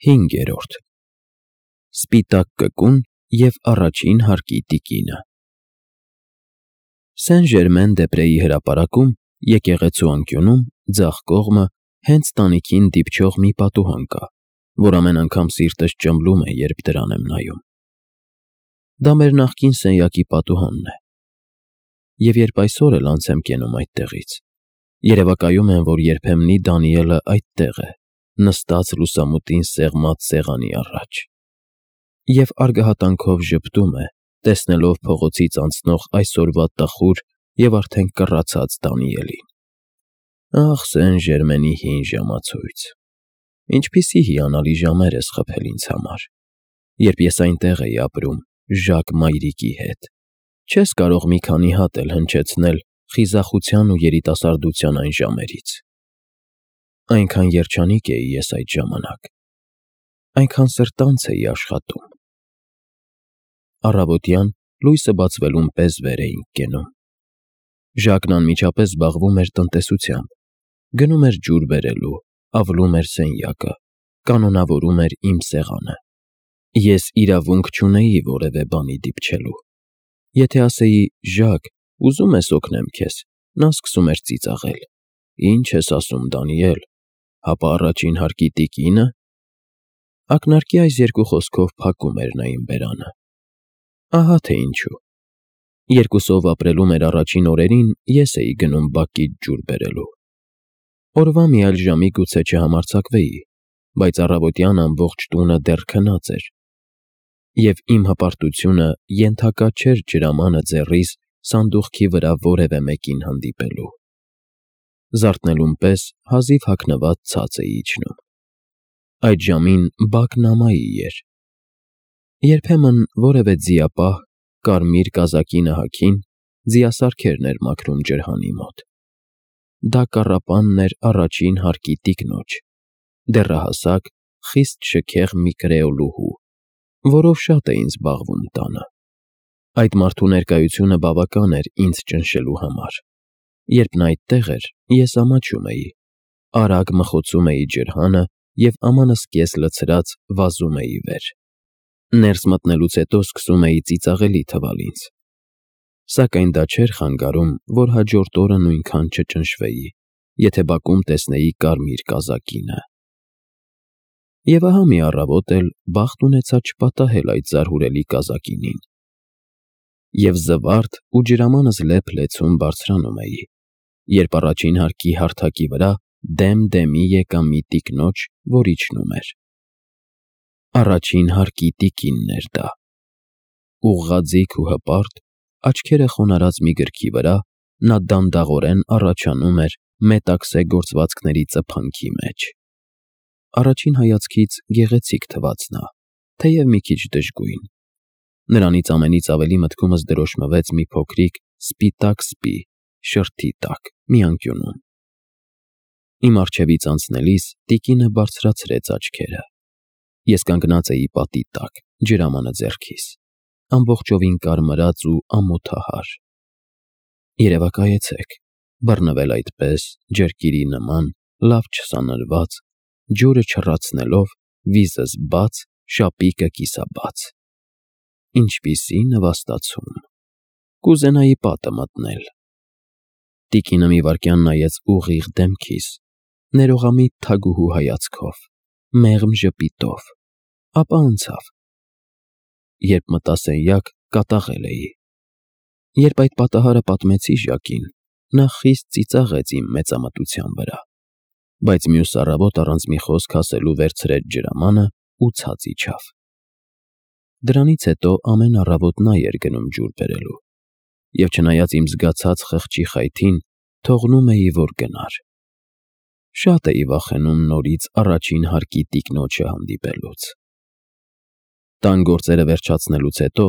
5. Սպիտակ կկուն և առաջին հարկի տիկինը։ Սեն-Ժերմեն-դե-Պրեի հրապարակում, եկեղեցու անկյունում, ձախ կողմը, հենց տանիքին դիպչող մի պատուհան կա, որ ամեն անգամ սիրտս ճմլում է, երբ դրան եմ նայում։ Դա մեր նախկին սենյակի պատուհանն է, և երբ այսօր էլ անց եմ կենում այդտեղից, երևակայում եմ, որ երբեմնի Դանիելը այդտեղ է, նստած լուսամուտին սեղմած սեղանի առաջ, և արգահատանքով ժպտում է, տեսնելով փողոցից անցնող այսօրվա տխուր և արդեն կռացած Դանիելին։ Ախ, Սեն-Ժերմենի հին ժամացույց, ինչպիսի հիանալի ժամեր ես խփել ինձ համար, երբ ես այնտեղ էի ապրում Ժակ մայրիկի հետ, չես կարող մի քանի հատ էլ հնչեցնել խիզախության ու երիտասարդության այն ժամերից։ Այնքան երջանիկ էի ես այդ ժամանակ, այնքան սրտանց էի աշխատում։ Առավոտյան լույսը բացվելուն պես վեր էինք կենում։ Ժակն անմիջապես զբաղվում էր տնտեսությամբ, գնում էր ջուր բերելու, ավլում էր սենյակը, կանոնավորում էր իմ սեղանը։ Ես իրավունք չունեի որևէ բանի դիպչելու։ Եթե ասեի. «Ժակ, ուզում ես օգնեմ քեզ», նա սկսում էր ծիծաղել. «Ինչ ես ասում, Դանիել, հապա առաջին հարկի տիկինը»։ Ակնարկի այս երկու խոսքով փակում էր նա իմ բերանը։ Ահա թե ինչու։ Երկուսով ապրելու մեր առաջին օրերին ես էի գնում բակից ջուր բերելու։ Օրվա մի այլ ժամի գուցե չհամարձակվեի, բայց առավոտյան ամբողջ տունը դեռ քնած էր, և իմ հպարտությունը ենթակա չէր ջրամանը ձեռիս սանդուղքի վրա որևէ մեկին հանդիպելու։ Զարթնելուն պես հազիվ հագնված ցած էի իջնում։ Այդ ժամին բակն ամայի էր։ Երբեմն որևէ ձիապահ, կարմիր կազակի նահաքին, ձիասարքերն էր մաքրում ջրհանի մոտ։ Դա կառապանն էր առաջին հարկի տիկնոջ, դեռահասակ, խիստ շքեղ մի կրեոլուհու, որով շատ էին զբաղվում տանը։ Այդ մարդու ներկայությունը բավական էր ինձ ճնշելու համար։ Երբ նա այդտեղ էր, ես ամաչում էի, արագ մխոցում էի ջրհանը և ամանս կես լցրած վազում էի վեր։ Ներս մտնելուց հետո սկսում էի ծիծաղելի թվալ ինձ։ Սակայն դա չէր խանգարում, որ հաջորդ օրը նույնքան չճնշվեի, եթե բակում տեսնեի կարմիր կազակինը։ Եվ ահա մի առավոտ էլ բախտ ունեցա չպատահել այդ զարհուրելի կազակինին։ Եվ զվարթ ու ջրամանս լեփ-լեցուն բարձրանում էի, երբ առաջին հարկի հարթակի վրա դեմ-դեմի եկա մի տիկնոջ, որ իջնում էր։ Առաջին հարկի տիկինն էր դա։ Ուղղաձիգ ու հպարտ, աչքերը խոնարհած մի գրքի վրա, նա դանդաղորեն առաջանում էր մետաքսե գործվածքների ծփանքի մեջ։ Առաջին հայացքից գեղեցիկ թվաց նա, թեև մի քիչ դժգույն։ Նրանից ամենից ավելի մտքումս դրոշմվեց մի փոքրիկ սպիտակ սպի շրթի տակ մի անկյունում։ Իմ առջևից անցնելիս տիկինը բարձրացրեց աչքերը։ Ես կանգնած էի պատի տակ, ջրամանը ձեռքիս, ամբողջովին կարմրած ու ամոթահար։ Երևակայեցեք, բռնվել այդպես, ջրկիրի նման, լավ չսանրված, ջուրը չռացնելով, վիզս բաց, շապիկը կիսաբաց։ Ինչպիսի նվաստացում։ Կուզենայի պատը մտնել։ Տիկինը մի վայրկյան նայեց ուղիղ դեմքիս, ներողամիտ թագուհու հայացքով, մեղմ ժպիտով, ապա անցավ։ Երբ մտա սենյակ, կատաղել էի։ Երբ այդ պատահարը պատմեցի Ժակին, նա խիստ ծիծաղեց իմ մեծամտության վրա, բայց մյուս առավոտ առանց մի խոսք ասելու վերցրեց ջրամանը ու ցած իջավ։ Դրանից հետո ամեն առավոտ նա էր գնում ջուր բերելու, և չնայած իմ զգացած խղճի խայթին, թողնում էի, որ գնար։ Շատ էի վախենում նորից առաջին հարկի տիկնոջը հանդիպելուց։ Տան գործերը վերջացնելուց հետո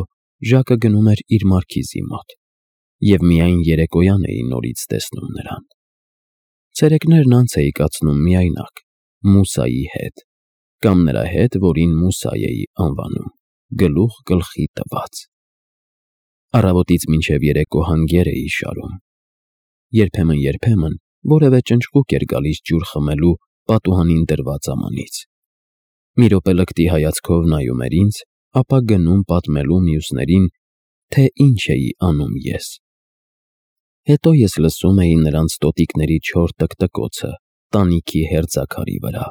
Ժակը գնում էր իր մարքիզի մոտ, և միայն երեկոյան էի նորից տեսնում նրան։ Ցերեկներն անց էի կացնում միայնակ, Մուսայի հետ, կամ նրա հետ, որին Մուսա էի անվանում, գլուխ գլխի տված։ Առավոտից մինչև երեկո հանգեր էի շարում։ Երբեմն որևէ ճնճղուկ էր գալիս ջուր խմելու պատուհանին դրված ամանից։ Մի րոպե լկտի հայացքով նայում էր ինձ, ապա գնում պատմելու մյուսներին, թե ինչ էի անում ես։ Հետո ես լսում էի նրանց տոտիկների չոր տկտկոցը տանիքի հերձաքարի վրա։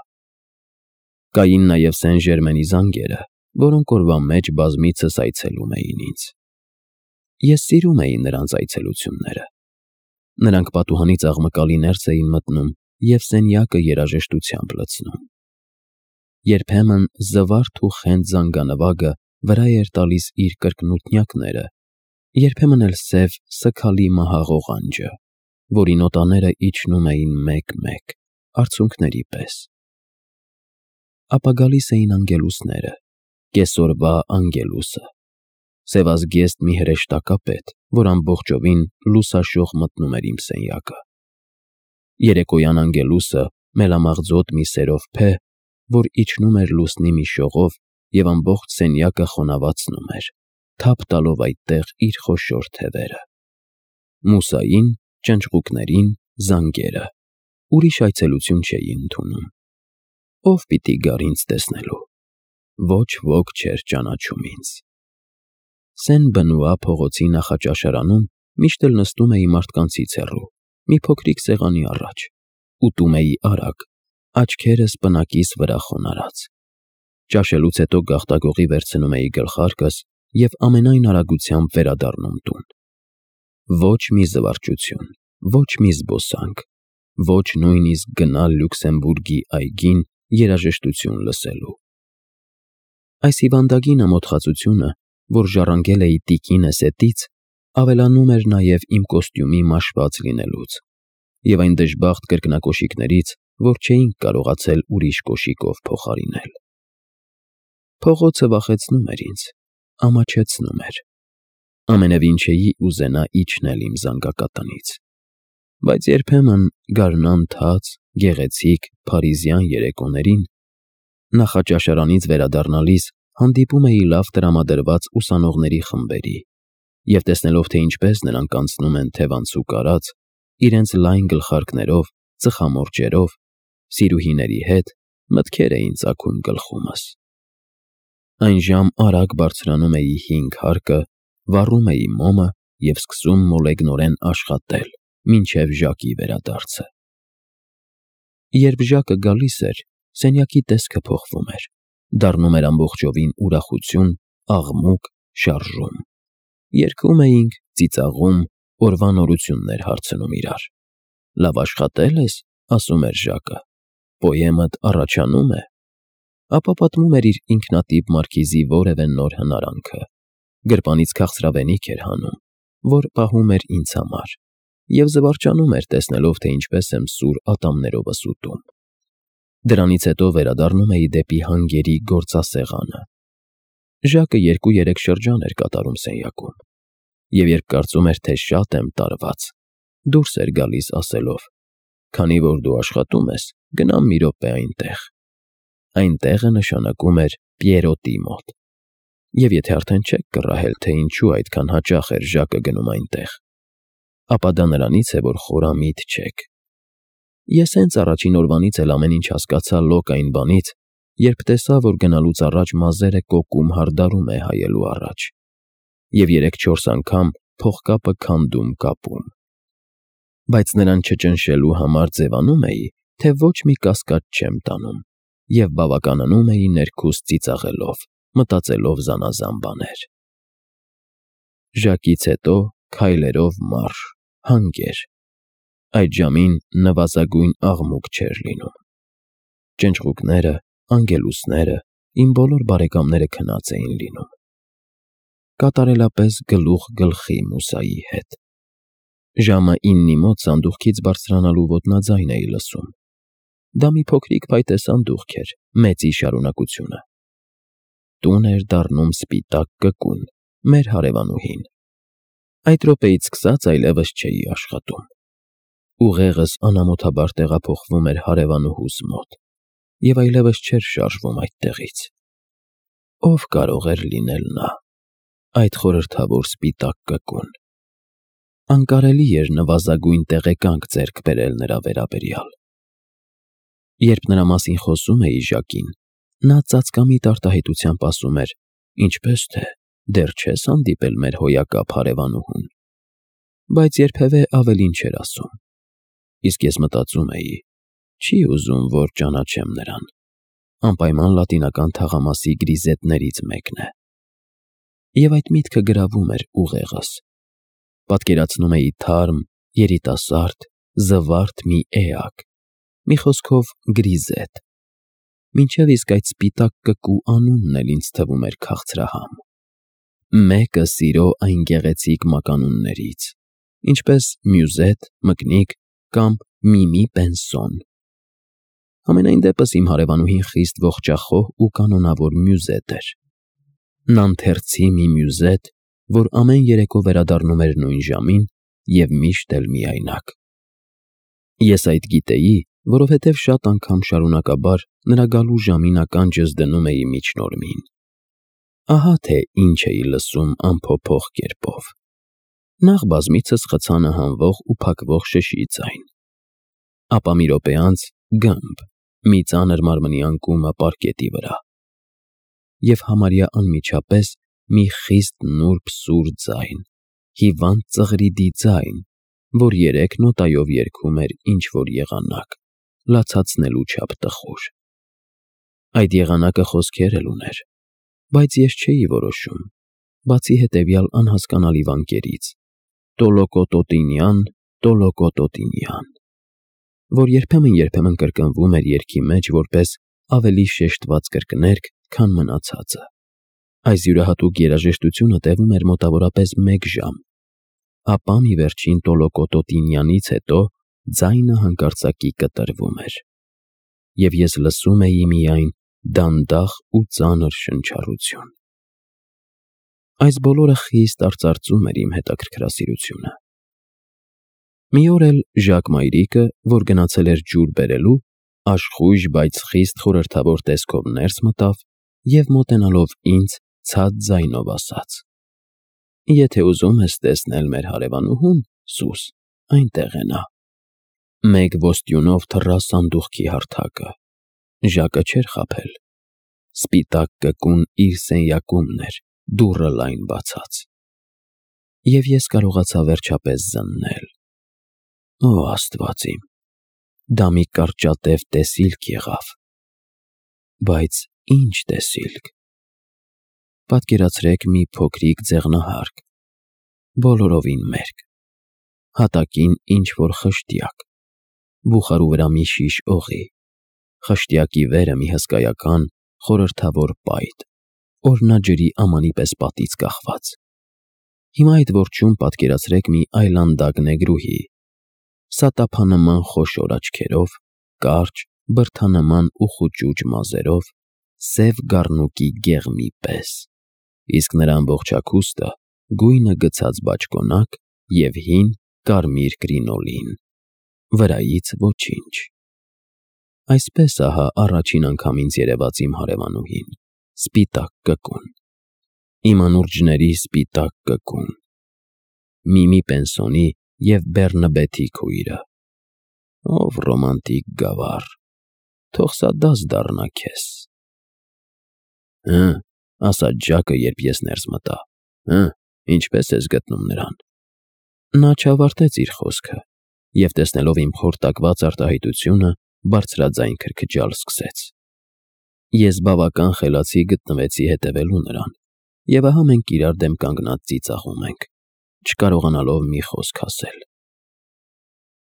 Կային նաև Սեն-Ժերմենի զանգերը, որոնք օրվա մեջ բազմիցս այցելում էին ինձ։ Ես սիրում էի նրանց այցելությունները։ Նրանք պատուհանից աղմկալի ներս էին մտնում և սենյակը երաժշտությամբ լցնում։ Երբեմն զվարթ ու խենթ զանգանվագը վրա էր տալիս իր կրկնութնյակները, երբեմն էլ սև սգալի մահաղողանջը, որի նոտաները իջնում էին մեկ-մեկ, արցունքների պես։ Ապա գալիս էին անգելուսները, կեսօրվա անգելուսը, սևազգեստ մի հրեշտակապետ, որ ամբողջովին լուսաշող մտնում էր իմ սենյակը, երեկոյան անգելուսը մելամաղձոտ մի սերովփե, որ իջնում էր լուսնի մի շողով և ամբողջ սենյակը խոնավացնում էր, թափ տալով այդտեղ իր խոշոր թևերը, մուսային, ճնճղուկներին, զանգերը, ուրիշ այցելություն չէի ընդունում։ Ով պիտի գար ինձ տեսնելու։ Ոչ ոք չէր ճանաչում ինձ։ Սեն-Բնուա փողոցի նախաճաշարանում միշտ էլ նստում էի մարդկանցից հեռու, մի փոքրիկ սեղանի առաջ, ուտում էի արագ, աչքերս պնակիս վրա խոնարհած։ Ճաշելուց հետո գաղտագողի վերցնում էի գլխարկս և ամենայն արագությամբ վերադառնում տուն։ Ոչ մի զվարճություն, ոչ մի զբոսանք, ոչ նույնիսկ գնալ Լյուքսեմբուրգի այգին երաժշտություն լսելու։ Այս հիվանդագին ամոթխածությունը, որ ժառանգել էի տիկինս հետից, ավելանում էր նաև իմ կոստյումի մաշված լինելուց և այն դժբախտ կրկնակոշիկներից, որ չէինք կարողացել ուրիշ կոշիկով փոխարինել։ Փողոցը վախեցնում էր ինձ, ամաչեցնում էր։ Ամենևին չէի ուզենա իջնել իմ զանգակատնից։ Բայց երբեմն գարնան թաց, գեղեցիկ, փարիզյան երեկոներին նախաճաշարանից վերադառնալիս հանդիպում էի լավ տրամադրված ուսանողների խմբերի և տեսնելով, թե ինչպես նրանք անցնում են թևանցուկ արած, իրենց լայն գլխարկներով, ծխամորճերով, սիրուհիների հետ, մտքեր էին ծագում գլխումս։ Այնժամ արագ բարձրանում էի 5 հարկը, վառում էի մոմը և սկսում մոլեգնորեն աշխատել, մինչև Ժակի վերադարձը։ Երբ Ժակը գալիս էր, սենյակի տեսքը փոխվում էր, դառնում էր ամբողջովին ուրախություն, աղմուկ, շարժում։ Երգում էինք, ծիծաղում, օրվա նորություններ հարցնում իրար։ Լավ աշխատե՞լ ես, ասում էր Ժակը, պոեմդ առաջանում է։ Ապա պատմում էր իր ինքնատիպ մարքիզի որևէ նոր հնարանքը, գրպանից քաղցրավենիք էր հանում, որ պահում էր ինձ համար, և զվարճանում էր տեսնելով, թե ինչպես եմ սուր ատամներովս ուտում։ Դրանից հետո վերադառնում էի դեպի հանգերի գործասեղանը։ Ժակը 2-3 շրջան էր կատարում սենյակում, և երբ կարծում էր, թե շատ եմ տարված, դուրս էր գալիս ասելով. «Քանի որ դու աշխատում ես, գնամ մի րոպե այնտեղ»։ Այնտեղը նշանակում էր Պիերոտի մոտ։ Եվ եթե արդեն չեք կռահել, թե ինչու այդքան հաճախ էր Ժակը գնում այնտեղ, ապա դա նրանից է, որ խորամիտ չեք։ Ես հենց առաջին օրվանից էլ ամեն ինչ հասկացա լոկ այն բանից, երբ տեսա, որ գնալուց առաջ մազերը կոկում հարդարում է հայելու առաջ, և 3-4 անգամ փողկապը քանդում կապում։ Բայց նրան չճնշելու համար ձևանում էի, թե ոչ մի կասկած չեմ տանում, և բավականանում էի ներքուստ ծիծաղելով, մտածելով զանազան բաներ։ Ժակից հետո քայլերով մարշ, հանգեր։ Այդ ժամին նվազագույն աղմուկ չէր լինում։ Ճնճղուկները, անգելուսները, իմ բոլոր բարեկամները քնած էին լինում։ Կատարելապես գլուխ գլխի Մուսայի հետ։ Ժամը 9-ի մոտ սանդուղքից բարձրանալու ոտնաձայն էի լսում։ Դա մի փոքրիկ փայտե սանդուղք էր, մեծի շարունակությունը։ Տուն էր դառնում սպիտակ կկուն, մեր հարևանուհին։ Այդ րոպեից սկսած այլևս չէի աշխատում։ Ուղեղս անամոթաբար տեղափոխվում էր հարևանուհուս մոտ, և այլևս չէր շարժվում այդտեղից։ Ով կարող էր լինել նա, այդ խորհրդավոր սպիտակ կկուն։ Անկարելի էր նվազագույն տեղեկանք ձեռք բերել նրա վերաբերյալ։ Երբ նրա մասին խոսում էի Ժակին, Նա ծածկամիտ արտահայտությամբ ասում էր. «Ինչպես թե, դեռ չես հանդիպել մեր հոյակապ հարևանուհուն»։ Բայց երբևէ ավելին չէր ասում։ Իսկ ես մտածում էի. չի ուզում, որ ճանաչեմ նրան։ Անպայման լատինական թաղամասի գրիզետներից մեկն է։ Եվ այդ միտքը գրավում էր ուղեղս։ Պատկերացնում էի թարմ, երիտասարդ, զվարթ մի էակ, մի խոսքով գրիզետ։ Մինչև իսկ այդ սպիտակ կկու անունն էլ ինձ թվում էր քաղցրահամ։ Մեկը սիրո այն գեղեցիկ մականուններից, ինչպես Մյուզետ, Մկնիկ կամ Միմի Պենսոն։ Համենայն դեպս իմ հարևանուհին խիստ ողջախոհ ու կանոնավոր Մյուզետ էր։ Նանթերցի մի Մյուզետ, որ ամեն երեկո վերադառնում էր նույն ժամին և միշտ էլ միայնակ։ Ես այդ գիտեի, որովհետև շատ անգամ շարունակաբար նրա գալու ժամին ականջս դնում էի միջնորմին։ Ահա թե ինչ էի լսում անփոփոխ կերպով։ Նախ բազմիցս խցանը հանվող ու փակվող շշի ձայն, ապա մի րոպե անց գամբ, մի ծանր մարմնի անկումը պարկետի վրա, և համարյա անմիջապես մի խիստ նուրբ սուր ձայն, հիվանդ ծղրիդի ձայն, որ 3 նոտայով երգում էր ինչ-որ եղանակ, լացացնելու չափ տխուր։ Այդ եղանակը խոսքեր էլ ուներ, բայց ես չէի որոշում, բացի հետևյալ անհասկանալի վանկերից. Տոլոկոտոտինյան, տոլոկոտոտինյան, որ երբեմն կրկնվում էր երգի մեջ որպես ավելի շեշտված կրկներգ, քան մնացածը։ Այս յուրահատուկ երաժշտությունը տևում էր մոտավորապես 1 ժամ, ապա մի վերջին տոլոկոտոտինյանից հետո ձայնը հանկարծակի կտրվում էր, և ես լսում էի միայն դանդաղ ու ծանր շնչառություն։ Այս բոլորը խիստ արծարծում էր իմ հետաքրքրասիրությունը։ Մի օր էլ Ժակ մայրիկը, որ գնացել էր ջուր բերելու, աշխույժ, բայց խիստ խորհրդավոր տեսքով ներս մտավ և մոտենալով ինձ ցած ձայնով ասաց. «Եթե ուզում ես տեսնել մեր հարևանուհուն, սուս, այնտեղ է նա»։ 1 ոստյունով թռա սանդուղքի հարթակը։ Ժակը չէր խաբել։ Սպիտակ կկուն իր սենյակումն էր, դուռը լայն բացած։ Եվ ես կարողացա վերջապես զննել։ Օ Աստված իմ, դա մի կարճատև տեսիլք եղավ։ Բայց ի՞նչ տեսիլք։ Պատկերացրեք մի փոքրիկ ձեղնահարկ, բոլորովին մերկ, հատակին ինչ-որ խշտյակ, բուխարու վրա մի շիշ օղի, խշտյակի վերը մի հսկայական խորհրդավոր պայտ, օրնաջրի ամանի պես պատից կախված։ Հիմա այդ որջում պատկերացրեք մի այլանդակ նեգրուհի, սատափանման խոշոր աչքերով, կարճ, բրդանման ու խուճուճ մազերով, սև գառնուկի գեղմի պես, իսկ նրա ամբողջ հագուստը գույնը գցած բաճկոնակ և հին կարմիր կրինոլին, վրայից ոչինչ։ Այսպես ահա առաջին անգամ ինձ երևաց իմ հարևանուհին, սպիտակ կկուն, իմ անուրջների սպիտակ կկուն, Միմի Պենսոնի և Բեռնաբեթի քույրը։ Ով ռոմանտիկ գավառ, թող սա դաս դառնա քեզ։ Ասաց Ժակը, երբ ես ներս մտա, ինչպես ես գտնում նրան։ Նա չավարտեց իր խոսքը և, տեսնելով իմ խորտակված արտահայտությունը, բարձրաձայն քրքջալ սկսեց։ Ես բավական խելացի գտնվեցի հետևելու նրան, և ահա մենք իրար դեմ կանգնած ծիծաղում ենք, չկարողանալով մի խոսք ասել։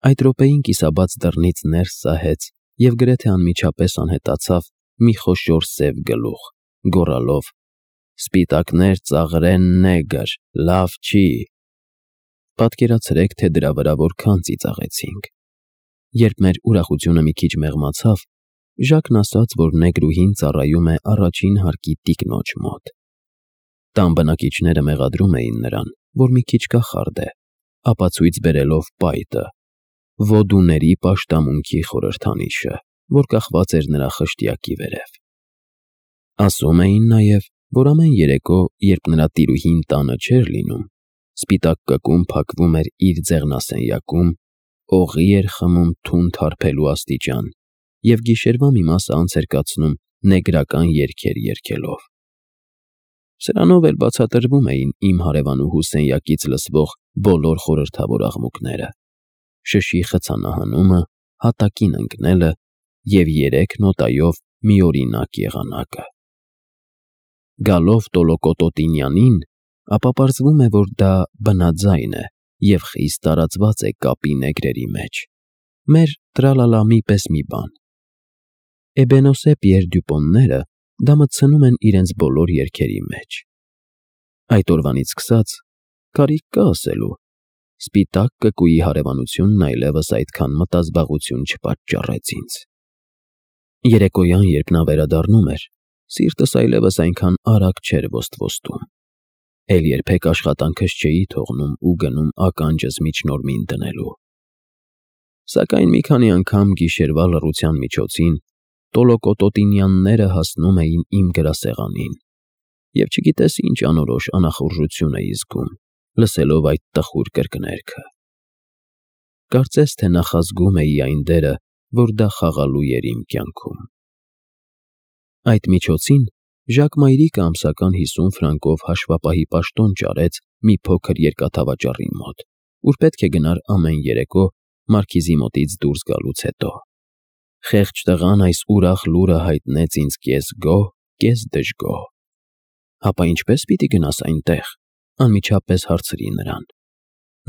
Այդ րոպեին կիսաբաց դռնից ներս սահեց և գրեթե անմիջապես անհետացավ մի խոշոր սև գլուխ, գոռալով. «Սպիտակներ ծաղրեն նեգր, լավ չի»։ Պատկերացրեք, թե դրա վրա որքան ծիծաղեցինք։ Երբ մեր ուրախությունը մի քիչ մեղմացավ, Ժակն ասաց, որ նեգրուհին ծառայում է առաջին հարկի տիկնոջ մոտ։ Տան բնակիչները մեղադրում էին նրան, որ մի քիչ կախարդ է, ապացույց բերելով պայտը, ոդուների պաշտամունքի խորհրդանիշը, որ կախված էր նրա խշտյակի վերև։ Ասում էին նաև, որ ամեն երեկո, երբ նրա տիրուհին տանը չէր լինում, սպիտակ կկուն փակվում էր իր ձեղնասենյակում, օղի էր խմում թունդ հարբելու աստիճան և գիշերվա մի մասը անցեր կացնում նեգրական երգեր երգելով։ Սրանով էլ բացատրվում էին իմ հարևանուհու սենյակից լսվող բոլոր խորհրդավոր աղմուկները, շշի խցանահանումը, հատակին ընկնելը և 3 նոտայով միօրինակ եղանակը։ Գալով Տոլոկոտոտինյանին, ապա պարզվում է, որ դա բնաձայն է և խիստ տարածված է կապի նեգրերի մեջ, մեր տրալալամի պես մի բան։ Էբենոսե Պիեր Դյուպոնները դա մտցնում են իրենց բոլոր երգերի մեջ։ Այդ օրվանից սկսած, կարիք կա ասելու, սպիտակ կկուի հարևանությունն այլևս այդքան մտազբաղություն չպատճառեց ինձ։ Երեկոյան, երբ նա վերադառնում էր, սիրտս այլևս այնքան արագ չէր ոստվոստում, էլ երբեք աշխատանքս չէի թողնում ու գնում ականջս միջնորմին դնելու։ Սակայն մի քանի անգամ գիշերվա լռության միջոցին Տոլոկոտոտինյանները հասնում էին իմ գրասեղանին, և չգիտես ինչ անորոշ անախորժություն էի զգում, լսելով այդ տխուր կրկներգը։ Կարծես թե նախազգում էի այն դերը, որ դա խաղալու էր իմ կյանքում։ Այդ միջոցին Ժակ մայրիկը ամսական 50 ֆրանկով հաշվապահի պաշտոն ճարեց մի փոքր երկաթավաճառի մոտ, ուր պետք է գնար ամեն երեկո մարքիզի մոտից դուրս գալուց հետո։ Խեղճ տղան այս ուրախ լուրը հայտնեց ինձ կես գոհ, կես դժգոհ։ Հապա ինչպե՞ս պիտի գնաս այնտեղ, անմիջապես հարցրի նրան։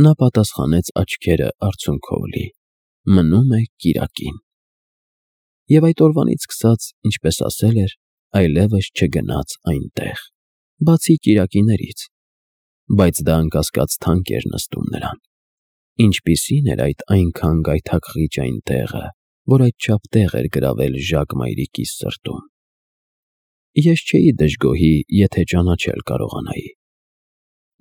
Նա պատասխանեց աչքերը արցունքով լի. մնում է կիրակին։ Եվ այդ օրվանից սկսած, ինչպես ասել էր, այլևս չգնաց այնտեղ, բացի կիրակիներից, բայց դա անկասկած թանկ էր նստում նրան։ Ինչպիսին էր այդ այնքան գայթակղիչ այն տեղը, որ այդչափ տեղ էր գրավել Ժակ մայրիկիս սրտում։ Ես չէի դժգոհի, եթե ճանաչել կարողանայի։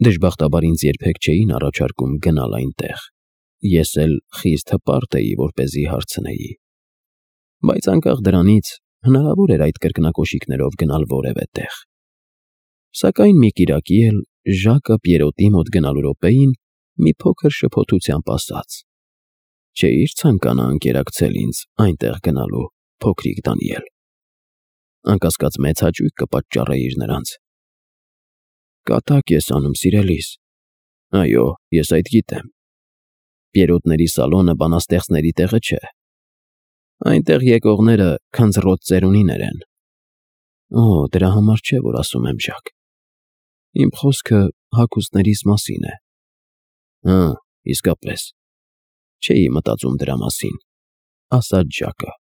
Դժբախտաբար ինձ երբեք չէին առաջարկում գնալ այնտեղ, ես էլ խիստ հպարտ էի, որպեսզի հարցնեի։ Բայց անկախ դրանից, հնարավոր էր այդ կրկնակոշիկներով գնալ որևէ տեղ։ Սակայն մի կիրակի էլ Ժակը Պիերոտի մոտ գնալու րոպեին մի փոքր շփոթությամբ ասաց. «Չէի՞ր ցանկանա ընկերակցել ինձ այնտեղ գնալու, փոքրիկ Դանիել։ Անկասկած մեծ հաճույք կպատճառեիր նրանց»։ Կատակ ես անում, սիրելիս։ Այո, ես այդ գիտեմ։ Պիերոտների սալոնը բանաստեղծների տեղը չէ։ Այնտեղ եկողները քնձռոտ ծերունիներ են։ Օ, դրա համար չէ, որ ասում եմ, Ժակ։ Իմ խոսքը հագուստներիս մասին է։ Հա, իսկապես։ Չէի մտածում դրա մասին, ասաց Ժակը։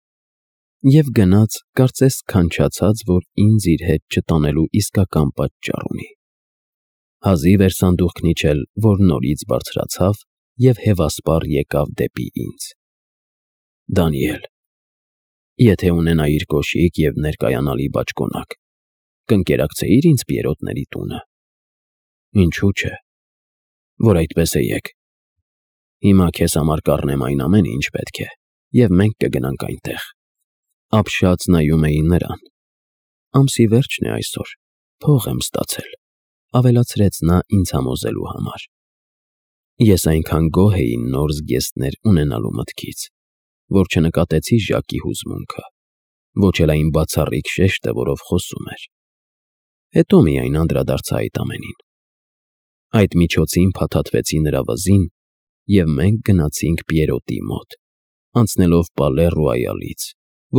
Եվ գնաց, կարծես քանչացած, որ ինձ իր հետ չտանելու իսկական պատճառ ունի։ Հազիվ էր սանդուղքն իջել, որ նորից բարձրացավ և հևասպառ եկավ դեպի ինձ։ Դանիել, եթե ունենայիր կոշիկ և ներկայանալի բաճկոնակ, կընկերակցեիր ինձ Պիերոտների տունը։ Ինչու՞ չէ, որ այդպես է եք։ Հիմա քեզ համար կառնեմ այն ամենը, ինչ պետք է, և մենք կգնանք այնտեղ։ Ապշած նայում էի նրան։ Ամսի վերջն է այսօր, փող եմ ստացել, ավելացրեց նա ինձ համոզելու համար։ Ես այնքան գոհ էի նոր զգեստներ ունենալու մտքից, որ չնկատեցի Ժակի հուզմունքը, ոչ էլ այն բացառիկ շեշտը, որով խոսում էր։ Հետո միայն անդրադարձա այդ ամենին։ Այդ միջոցին փաթաթվեցի նրա վզին, և մենք գնացինք Պիերոտի մոտ, անցնելով Պալե Ռոյալից,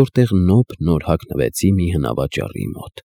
որտեղ նոպ նոր հագնվեցի մի հնավաճառի մոտ։